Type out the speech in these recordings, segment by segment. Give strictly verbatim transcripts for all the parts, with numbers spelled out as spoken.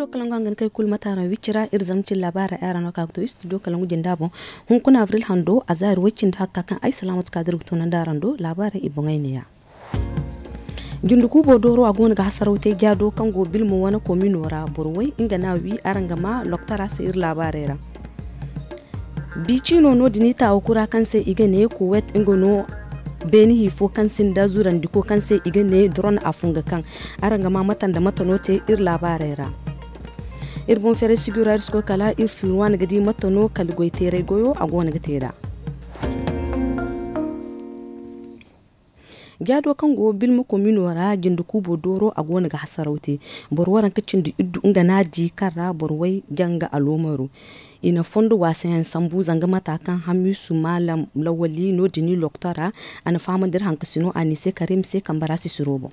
Kalaŋ go hangan kay kulu mate araŋ wicci ra iri zama cin laabaarey araŋ no ka ga to istudiyo kalaŋ go jinde a boŋ. Hunkuna abril hando a zaari way cindi hakka kaŋ ay salaamatu kaadir ga toonandi araŋ do laabaarey i boŋey neeya. Jinde kuubo dooro a go no ga hasaraw te jaado kaŋ go bilma wane komino ra boro way nga no a wi araŋ ga ma loktora se iri laabaarey ra. Bi ciino no- din i taawa kura kaŋ se i ga ne kuwet nga no beeni hi fo kaŋ sinda zurandiko kaŋ se i ga ne doron a funga kaŋ araŋ ga ma mate nda mate no te iri laabaarey ra. Iri boŋ feeray sijura iri si koy kala iri fiiri waani ga di mate no kala goy teeray goyo a go no ga te nd'a. Jaado kaŋ go bilma komino ra jinde kuubo dooro a go no ga hasaraw te. Boro waranka cindi iddu nga no a di kaŋ ra boro way janga aloomaro. I na fondo waasayaŋ sambu zanga mata kaŋ hamisu maalam lawali no- din loktora a na fahamandi iri hankasino a n'i se karim se kambe ra sisiro boŋ.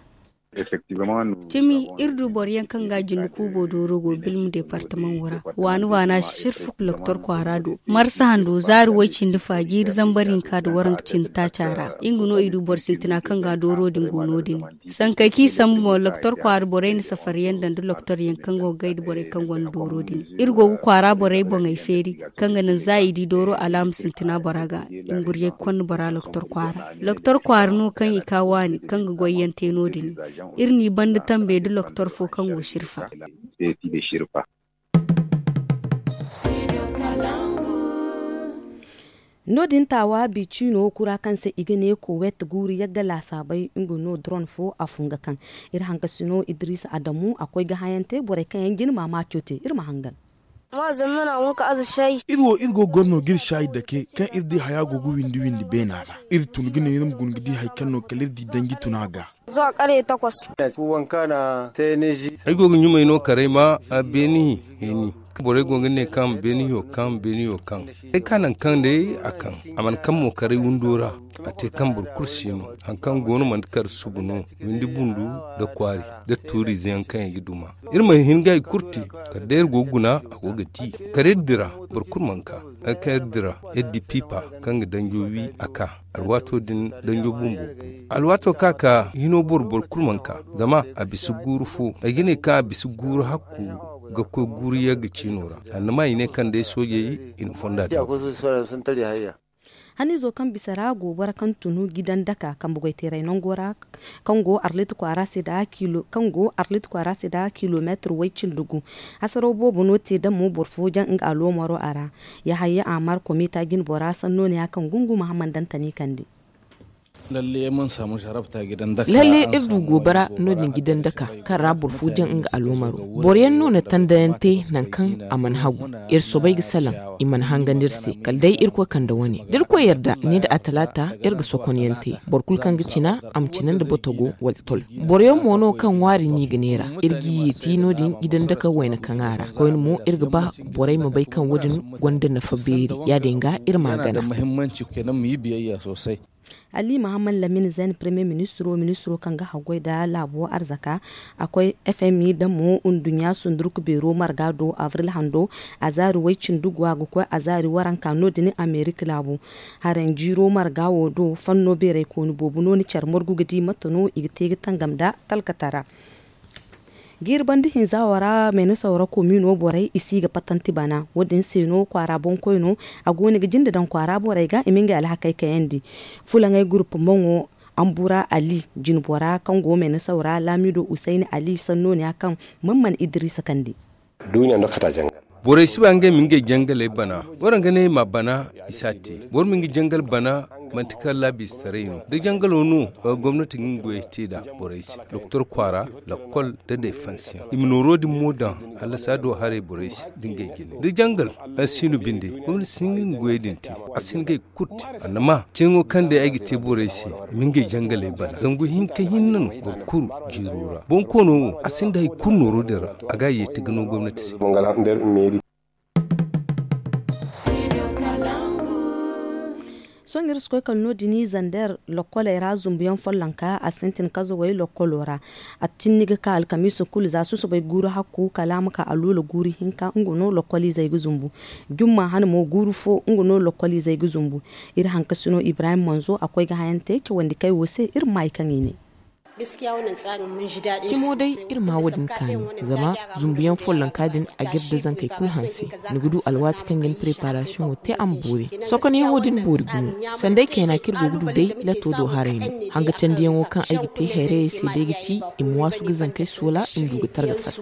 Cimi iri du boro yaŋ kaŋ ga jinde kuubo dooro go bilma departamaŋo ra waani waana sirfu loktor kwaara do marsa hando zaari way- cindi fa jiiri zambar hinka nda waranka cindi taaca ra. Nga no i du boro sintina kaŋ ga dooro din go no- din. Sankey kaŋ i sambu mo loktor kwaara borey na safariyaŋ daŋ nda loktoryaŋ kaŋ go ga gay nda borey kaŋ gonda dooro din. Iri go ga kwaara borey boŋey feeri kaŋ ga naŋ za i di dooro alaama sintina bora ga. Nguriyey konda bora loktor kwaara loktor kwaara no kaŋ i ka waani kaŋ ga goyyaŋ te no- din. Iri n'i banda tambe nda loktor fo kaŋ go sirfa. No- din taawa bi ciino kura kaŋ se i ga ne kowet guuru yagga laasaabey nga no doron fo a funga kaŋ iri hankasino idiriisa adamu a koy ga hayaŋ te borey kaŋ yaŋ jina maamaaco te iri ma hangan. Iri wo iri go ga goro no ga iri saayi dake kaŋ iri di haya go ga windi windi beena ra. Iri tun ga ne iri ma guna ga di hari kaŋ no kala iri di danji tun a ga. Ay go ga ɲumay no karay ma beeni heeni. Borey go ga ne kaŋ beeni yo kaŋ beeni yo kaŋ ay ka naŋ kaŋ day a kaŋ a mana kaŋ mo karay windo ra. A te kaŋ boro kulu si no hari kaŋ go no manti kar subu no. Windi bundu nda kwaari nda tuuriize yaŋ kaŋ i ga duma. Iri ma hin ga hari kulu te kala day iri go ga guna a go ga di kala iri dira. Boro kulu mana ka hari kaŋ iri dira iri di piipa kaŋ ga danjo wi a ka. Alwaato din danjo bumbo alwaato ka ka hino boro boro kulu mana ka zama a bisa guuru fo. Ay ga ne kaŋ a bisa guuru hakku ga koy guuru yagga ciino ra. Annama i ne kaŋ day soojey i na fonda te. Haniizo kaŋ bisa ra go boro kaŋ tunu gidan daka kambe goyteeray nango ra kaŋ go arlit kwaara se da kilomeetir way- cindi gu. Hasaraw boobo no te damo boro fo jaŋ nga aloomaro a ra. Yahaya amar komita jine bora sanno ne ya kaŋ gungu mahamman dantani kande. Lalle iri du gobara no- din gidan daka kaŋ ra boro fo jaŋ nga aloomaro. Boro yaŋ no na tandayaŋ te nangu kaŋ a mana hagu. Iri soobay ga salaŋ i mana hangandi iri se kala day irkoy kande wane da irkoy yarda ni nda a talaata. Iri ga sokon yaŋ te boro kulu kaŋ ga cina a ma cina nda botogo wala tol. Boro yaŋ mo no kaŋ ŋwaari no i ga neera. Iri ga i yeeti no- din gidan daka wayna kaŋ a ra koyne mo iri ga ba borey ma bay kaŋ wo- din gonda nafa beeri. Ya- din ga iri ma a gana. Ali mahammad lamin zayn premier ministro ministro kaŋ ga haggoy nda laabo arzaka a koy fmi damo nduɲɲa sundurku beero marga do avril hando. A zaari way- cindi go a ga koy a zaari waranka no- din amerika laabo. Haranjiiro marga wo do fanno beeraykooni boobo no ni care margu ga di mate no i ga te ga tangam nda talkatara. Jiiri banda hinza wo ra meena sawra komino borey i si ga patanti bana wo- din se no kwaara boŋkoyno a go no ga jinde daŋ kwaara borey ga i ma ngey alhakey kayandi. Fulaŋey gurpu maŋo ambura ali jinbora kaŋ go meena sawra laamido usayni ali sanno ne ya kaŋ man mana idiriisa kande. Borey si ba ngey ma ngey jangaley bana. Boro ga ne i ma bana i si a te. Boro ma nga jangal bana manti kala laabiistaray no da jangalo no. Gomnati ga nga goyey te nd'a borey se doktor kwaara, lakkol nda defansiyaŋ i ma nooro din mo daŋ. Hala saado haray borey se da ngey jine da jangal. Siino binde gomnati si hin ga nga goyey din te. A si hin ga ay ga kulu te. Annama cine wo kaŋ day ay ga te borey se i ma ngey jangaley bana zangu hinka hinne no boro kulu jiiro ra bonkoono wo a sinda hari kulu nooro din ra. A ga a yeeti ga no gomnati se. Sohõ iri si koy kala no- din zander lokkoley ra zumbuyaŋ follonka a sintin kazawey lokkolo ra. A tinni ga ka alkamiisa kulu za susubay guuru hakku kala a ma ka aluula guuru hinka nga no lokkoliizey ga zumbu. Jumma hane mo guuru fo nga no lokkoliizey ga zumbu. Iri hankasino ibrahim manzo a koy ga hayante cawandi kay wo se iri ma maayi kaŋ i ne. Cimo day iri ma wo- din kaani, zama zumbuyaŋ follonka din a ga iri da zankey kulu hanse. Ni ga du alwaati kaŋ ga ni preparasiyoŋo te a ma boori. Sokonyaŋo din boori gumo. Sanday kayna kaŋ iri go ga du day, lato do haray no. Hanga candiyaŋo kaŋ ay ga te hayrayey se day ga ti, i ma waasu ga zankey soola i ma du ga targa fatta.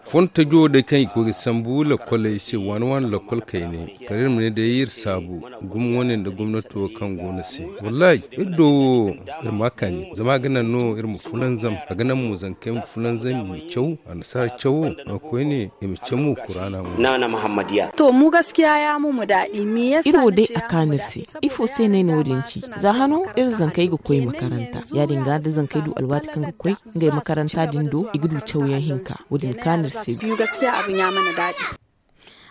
Fontajo day kaŋ i ga koy ga sambu lakoley se waani waani lakol kayney, kala iri ma ne day iri saabu gumo wane nda gomnati wo kaŋ go no se. Wallahi, iri do wo, iri ma a kaani zama a ga naŋ no iri ma fulanzam, a ga naŋ mo zankey ma fulanzam i ma caw, annasaara cawo. A koyne i ma caw mo kuraana mo. To mu gaskiya ya mu mu daɗi me yasa? Iri wo day a kaani iri se. Ifo se no ay na wo- din ci? Za hano iri zankey ga koy makaranta, ya- din ga da zankey du alwaati kaŋ ga koy ngey makaranta din do, i ga du cawyaŋ hinka. Wo- din kaani iri se.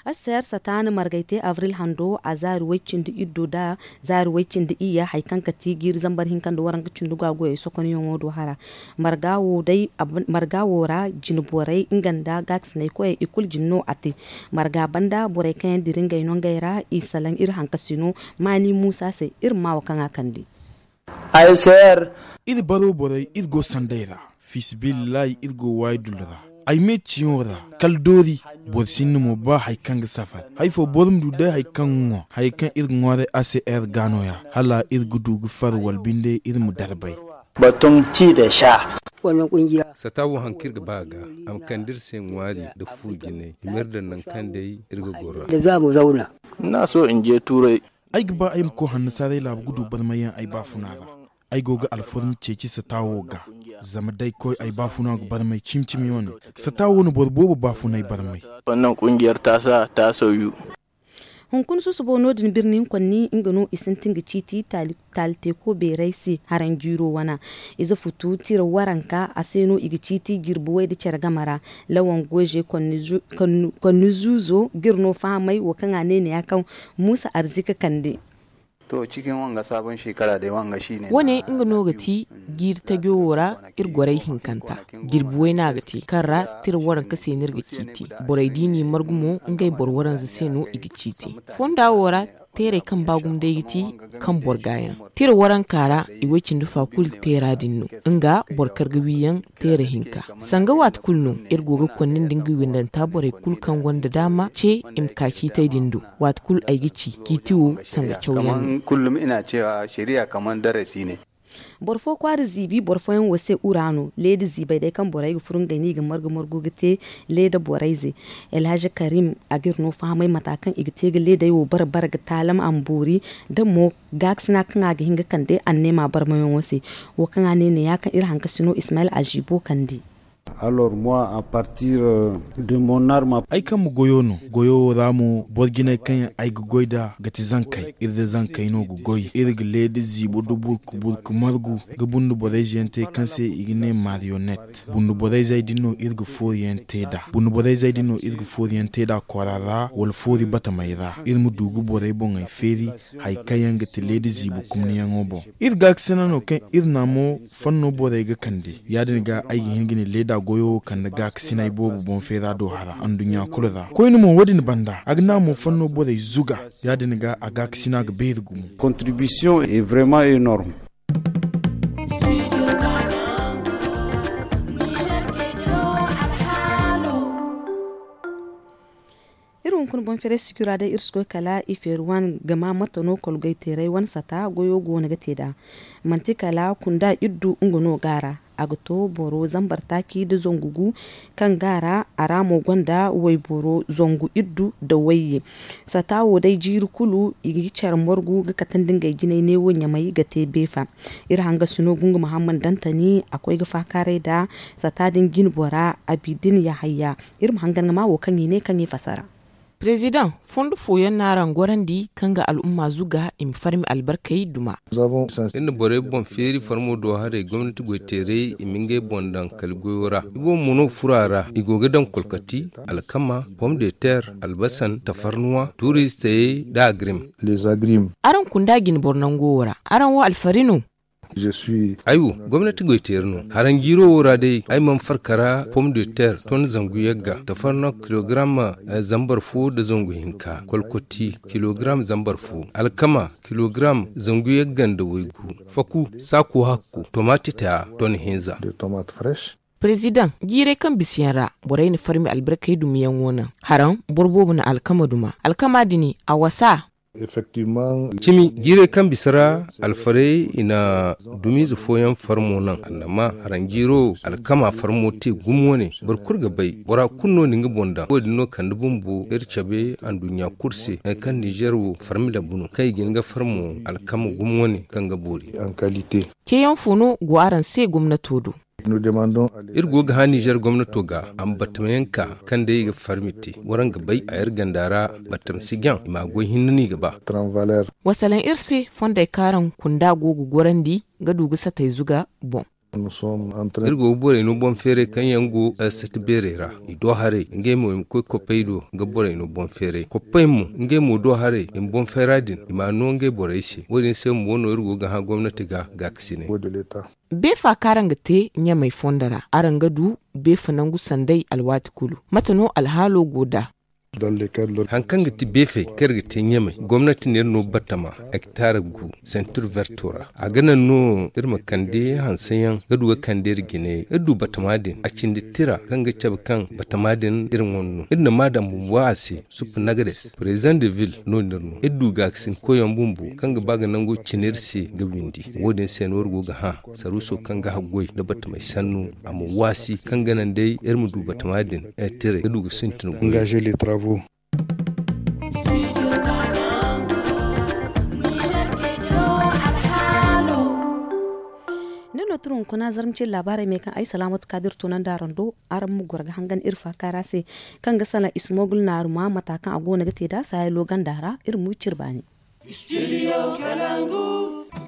Arsayar sataani margay te avril hando a zaari way cindi iddo da zaari way cindi iyya, hari kaŋ ga ti jiiri zambar hinka nda waranka cindi ga goyey sokonyaŋo do hara. Marga wo ra jine borey nga nda gaakasinay koyey i kulu jine no a te. Marga banda borey kaŋ yaŋ dira ngey no ngey ra i salaŋ iri hankasino maani muusa se. Iri ma maa wo kaŋ a kande. Iri baro borey iri go sanday ra. Fiisabilillahi iri go waayi dullu ra. Ay me ciyaŋo ra kala doori. Boro sinda mo ba hari kaŋ ga safar hari fo boro ma du day hari kaŋ ga ŋwa hari kaŋ iri ga ŋwaaray a se ere ga nooya hala iri ga du ga far wala binde iri ma darbay. Sata wo haŋ kaŋ iri ga ba a ga a ma kande iri se ŋwaari nda fu jinay i ma iri daŋ nangu kaŋ day iri ga goro ra. Ni na sohõ nje tuuray. Ay ga ba ay ma koy hanno saaray laabu ga du barmayyaŋ ay baafuna ra. Ay go ga alforma ceeci sata wo ga. Zama da ay koy ay baafuna ga barmay cimi cimi wane. Sata wo no boro boobo baafunay barmay. Hunkuna susubo no- din birni hinkonni nga no i sintin ga ciiti taali teeko beeray se. Haraŋ jiiro wana ize futu tira waranka a se no i ga ciiti jirbi way nda care game ra. Lawan goyze konni zuuzo ga iri no fahamay wo kaŋ a ne ne ya kaŋ muusa arzika kande. Wane nga no ga ti jiiri tajo wo ra. Iri goray hinkanta jirbi wayna ga te kaŋ ra tira waranka se no iri ga ciiti. Borey da i n'i margu mo ngey boro waranza se no i ga ciiti. Fonda wo ra teerey kaŋ ba gumo day ga ti kaŋ boro gaayaŋ tira waranka ra. I way cindi fa kulu teera din no nga boro kar ga wiiyaŋ teera hinka. Sanga waati kulu no iri go ga konni nda nga windanta borey kulu kaŋ gonda daama ce i ma ka ciitey din do. Waati kulu ay ga ci ciiti wo sanga cawyaŋ no. Boro fo kwaara ziibi boro fooyaŋ wo se ura no leeda ziibay day kaŋ borey ga furo ngey no i ga margu margu ga te. Leeda borey ze alhaza karim a ga iri no fahamay mata kaŋ i ga te ga leedey wo bare bare ga taalam a ma boori. Da mo gaakasina kaŋ a ga hin ga kande anneema barmayaŋo se. Wo kaŋ a ne ne ya kaŋ iri hankasino ismail azibo kande. Ay kaŋ ma goyo no goyo wo ra mo boro jinay kaŋ yaŋ ay ga goy nd'a ga ti zankey iri da zankey no ga goy iri ga leeda ziibo da burku burku margu ga bundu borayze yaŋ te kaŋ se i ga ne marionet. Bundu borayzey din no iri ga foori yaŋ te nd'a bundu borayzey din no iri ga foori yaŋ te nd'a kwara ra wala foori batamey ra iri ma du ga borey boŋey feeri. Hari kaŋ yaŋ ga ti leeda ziibo kumniyaŋo boŋ iri gaakasina no kaŋ iri na mo fanno borey ga kande. Ya- din ga ay ga hin ga ne leeda goyo wo kande gaakasinay boobo boŋ feera do hara anduɲɲa kulu ra koyne mo wo- din banda a ga na mo fanno borey zuga. Ya- din ga a gaakasina ga beeri gumo. Iri hunkuna boŋ feeray sijira day iri si koy kala i feeri wane ga ma mate no kolgoy teeray wane sata goyo go no ga te nd'a. Manti kala kunda iddu nga no ga a ra. A ga to boro zambar taaci nda zangu gu kaŋ ga a ra a ra mo gonda wayboro zangu iddu nda wayye. Sata wo day jiiri kulu i ga care margu ga katandi ngey jinay neewo ɲamay ga te beefa. Iri hangasino gungu muhammad dantani a koy ga faakaaray nda sata din jine bora abidin yahayya. Iri ma hangan ga ma wo kaŋ i ne kaŋ i fasara. President, fondo fooyaŋ no araŋ gorandi kaŋ ga al'umma zuga i ma farmi albarkey duma. Iri na borey boŋ feeri farmo do haray gomnati goyteerey i ma ngey boŋ daŋ kala goyo ra i boobo mo no furo a ra i go ga daŋ kolkati, alkama, pom de ter, albasan, tafarnuwa, tuuristayey, nda agrim. Araŋ kunda jine boro nango wo ra araŋ wo alfari no? Ay wo, gomnati goyteeri no. Haranjiiro wo ra day, ay mana farka ra pom de terre ton zangu yagga, tafarno kilogram zambar fo nda zangu hinka, kolkoti kilogram zambar fo, alkama kilogram zangu yagga nda waygu, faku saaku hakku, tomati taya ton hinza. Perezidaŋ, jiirey kaŋ bisa yaŋ ra, borey na farmi albarkey dumiyaŋo naŋ. Haraŋ, boro boobo na alkama duma. Alkama din, a wasa. Cimi, jiirey kaŋ bisa ra, alfarey i na dumiize fooyaŋ farmo naŋ. Annama, haraŋ jiiro, alkama farmo te gumo wane. Boro kulu ga bay, bora kulu no na nga boŋ daŋ. Wo-din no kande bumbo iri cabe anduɲɲa kulu se, nangu kaŋ Nizer wo farmi labu no, kaŋ i ga hin ga farmo alkama gumo wane kaŋ ga boori. Ceeyaŋ fo no go araŋ se gomnato do? Iri go ga hã Nizer gomnato ga, a ma batamayaŋ ka, kaŋ day i ga farmi te. Waraŋ ga bay, a iri ganda ra batama si jaŋ, i ma goy hinne no i ga ba. Wa salaŋ iri se, fondey kaŋ araŋ kunda go ga gorandi ga du ga satay zuga boŋ. Iri go ga borey no boŋ feeray kaŋ yaŋ go sati beerey ra. I do haray, ngey mo i ma koy koppey do ga borey no boŋ feeray. Koppey mo, ngey mo do haray, i ma boŋ feera din, i ma a no ngey borey se. Wo-din se mo no iri go ga hã gomnati ga gaakasinay. Beefa kaŋ araŋ ga te ɲamey fondo ra, araŋ ga du beefa nangu sanday alwaati kulu. Mate no alhaalo go nd'a? Haŋ kaŋ ga ti beefey kaŋ iri ga te ɲamey, gomnati n'iri no batama, hektar gu, sentir verto ra. A ga naŋ no iri ma kande hanseyaŋ ga du ga kande iri jine. Iri du batama din, a cindi tira kaŋ ga cabe kaŋ batama din iri ŋwa no. Iri na maa daŋ bumbo a se, suppu nagades, president de ville no n'iri no. Iri du gaakasin koyyaŋ bumbo kaŋ ga ba ga nango cine iri se ga windi. Wo-din se no iri go ga hã saruuso kaŋ ga haggoy nda batamey sannu, a ma waasi kaŋ ga naŋ day iri ma du batama din, eh, tiray ga du ga sintin goy. Ni no tun hunkuna zarma cine laabaarey me kaŋ ay salaamatu kaadir tunandi araŋ do. Araŋ ma goro ga hangan iri faaka ra se kaŋ ga salaŋ ismogul naaruma mata kaŋ a go no ga te nd'a saayalo ganda ra. Iri ma wi cire baani.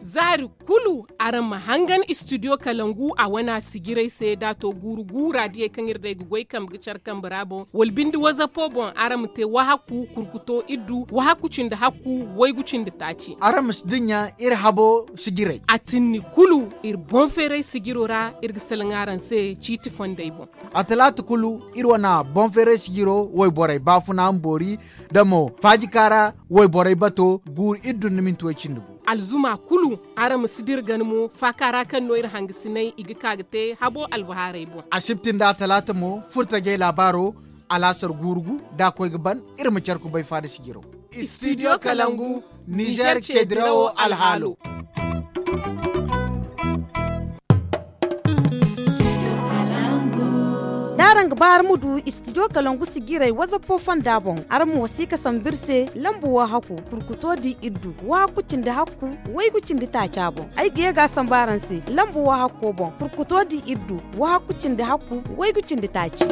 Zaari kulu araŋ ma hangan istidiyo kalangu a wana sijirey se da a to guuru guura diyey kaŋ iri day ga goy kambe ga care kambe ra boŋ wala binde wazapo boŋ araŋ ma te wahakku kurkuto iddu wahakku cindi hakku waygu cindi taaci. Araŋ ma si dinya iri habo sijirey. A tinni kulu iri boŋ feeray sijiro ra iri ga salaŋ araŋ se ciiti fondey boŋ. A talaata kulu iri wana boŋ feeray sijiro wayborey baafuna ma boori da mo faajika ra wayborey bato guuru iddu nda minti way cindi gu. Alzuma kulu araŋ ma si dira gana mo faaka ra kaŋ no iri hangasinay i ga ka ga te habo albahaarey boŋ. Asibti nda atalaata mo furtajey laabaaro alaasar guuru gu da a koy ga ban iri ma care kubay faada sijiro. Istidiyo kalangu nizer ceedirawo alhaalo. Da araŋ ga ba araŋ ma du istidiyo kalangu sijiray wazapo fonda boŋ araŋ ma wasiika sambu iri se lambu wahakku kurkuto di iddu wahakku cindi hakku waygu cindi taaca boŋ. Ay ga ye ga a sambu araŋ se lambu wahakko boŋ kurkuto di iddu wahakku cindi hakku waygu cindi taaci.